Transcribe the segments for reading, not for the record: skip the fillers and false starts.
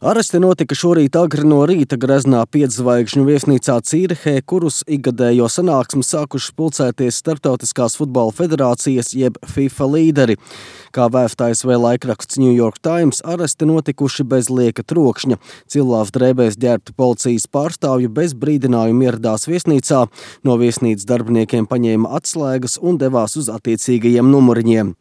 Aresti notika šorīt agri no rīta greznā 5 zvaigžņu viesnīcā Cīrihē, kurus ikgadējo sanāksmi sākuši pulcēties Starptautiskās futbola federācijas jeb FIFA līderi. Kā vēsta ASV laikraksts New York Times, aresti notikuši bez lieka trokšņa. Cilāvs drēbēs ģērbti policijas pārstāvji bez brīdinājuma ieradās viesnīcā, no viesnīcas darbiniekiem paņēma atslēgas un devās uz attiecīgajiem numuriņiem.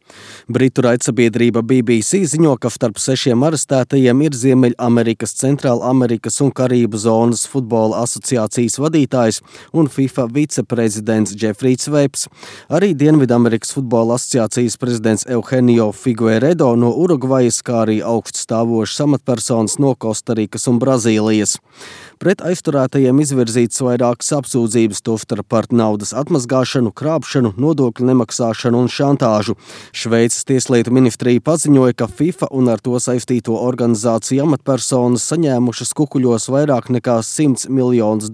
Britu raidsabiedrība BBC ziņo, ka starp 6 arestētajiem ir Ziemeļamerikas, Centrālamerikas un Karību zonas futbola asociācijas vadītājs un FIFA viceprezidents Džefrijs Veips. Arī Dienvidamerikas futbola asociācijas prezidents Eugenio Figueiredo no Urugvajas, kā arī augststāvošas amatpersonas no Kostarikas un Brazīlijas. Pret aizturētajiem izvirzītas vairākas apsūdzības, tostarp par naudas atmazgāšanu, krāpšanu, nodokļu nemaksāšanu un šantāžu. Šveices tieslietu ministrija paziņoja, ka FIFA un ar to saistīto organizāciju amatpersonas saņēmušas kukuļos vairāk nekā $100 miljonus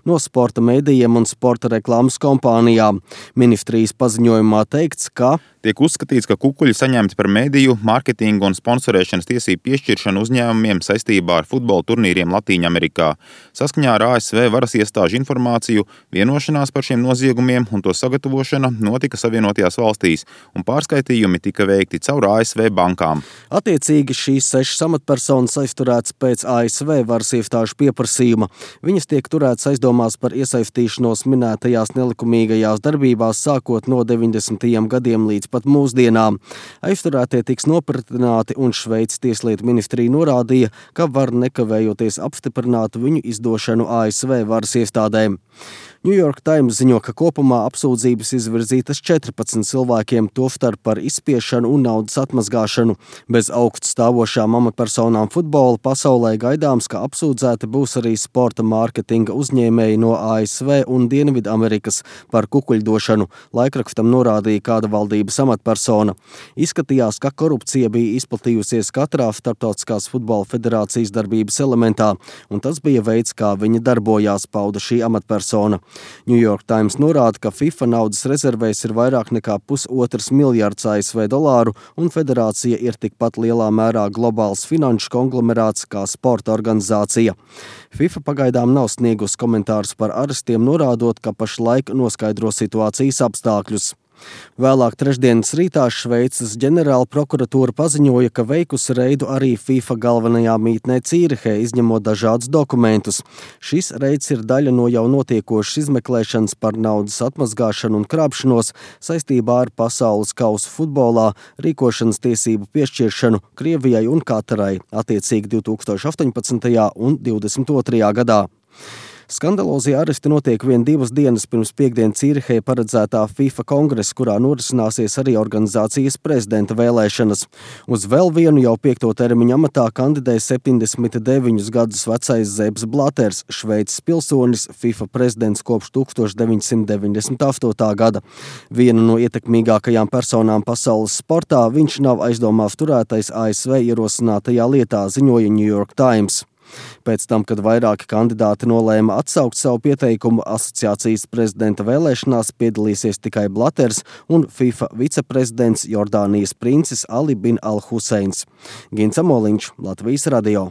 no sporta mēdījiem un sporta reklāmas kompānijām. Ministrijas paziņojumā teikts, ka tiek uzskatīts, ka kukuļi saņemti par mēdīju, mārketingu un sponsorēšanas tiesību piešķiršanu uzņēmumiem saistībā ar futbola turnīriem Latīņamerikā. Saskaņā ar ASV varas iestāžu informāciju, vienošanās par šiem noziegumiem un to sagatavošana notika Savienotajās valstīs, un pārskaitījumi tika veikti caur ASV bankām. Attiecīgi šīs 6 amatpersonas aizturētas pēc ASV varas iestāžu pieprasījuma. Viņas tiek turētas aizdomās par iesaistīšanos minētajās nelikumīgajās darbībās sākot no 90. gadiem līdz pat mūsdienām. Aizturētie tiks nopratināti un Šveices tieslietu ministrija norādīja, ka var nekavējoties apstiprināt viņu izdošanu ASV varas iestādēm. New York Times ziņo, ka kopumā apsūdzības izvirzītas 14 cilvēkiem, tostarp par izspiešanu un naudas atmazgāšanu. Bez augststāvošām amatpersonām futbola pasaulē gaidāms, ka apsūdzēti būs arī sporta mārketinga uzņēmēji no ASV un Dienvidamerikas par kukuļdošanu. Laikrakstam norādīja kāda valdības amatpersona. Izskatījās, ka korupcija bija izplatījusies katrā Starptautiskās futbola federācijas darbības elementā, un tas bija veids, kā viņa darbojās, pauda šī amatpersona. New York Times norāda, ka FIFA naudas rezervēs ir vairāk nekā $1,5 miljards ASV dolāru, un federācija ir tikpat lielā mērā globāls finanšu konglomerāts kā sporta organizācija. FIFA pagaidām nav sniegusi komentārus par arestiem, norādot, ka pašlaik noskaidro situācijas apstākļus. Vēlāk trešdienas rītā Šveices ģenerāla prokuratūra paziņoja, ka veikusi reidu arī FIFA galvenajā mītnē Cīrihē, izņemot dažādus dokumentus. Šis reids ir daļa no jau notiekošas izmeklēšanas par naudas atmazgāšanu un krāpšanos saistībā ar pasaules kausu futbolā, rīkošanas tiesību piešķiršanu Krievijai un Katarai, attiecīgi 2018. un 2022. gadā. Skandalozie aresti notiek 1-2 dienas pirms piekdien Cīrihē paredzētā FIFA kongresa, kurā norisināsies arī organizācijas prezidenta vēlēšanas. Uz vēl vienu jau 5. termiņu amatā kandidē 79 gadus vecais Seps Blaters, Šveices pilsonis, FIFA prezidents kopš 1998. gada. Viena no ietekmīgākajām personām pasaules sportā, viņš nav aizdomās turētais ASV ierosinātajā lietā, ziņoja New York Times. Pēc tam, kad vairāki kandidāti nolēma atsaukt savu pieteikumu, asociācijas prezidenta vēlēšanās piedalīsies tikai Blaters un FIFA viceprezidents Jordānijas princis Ali bin Al Huseins. Gins Amoliņš, Latvijas radio.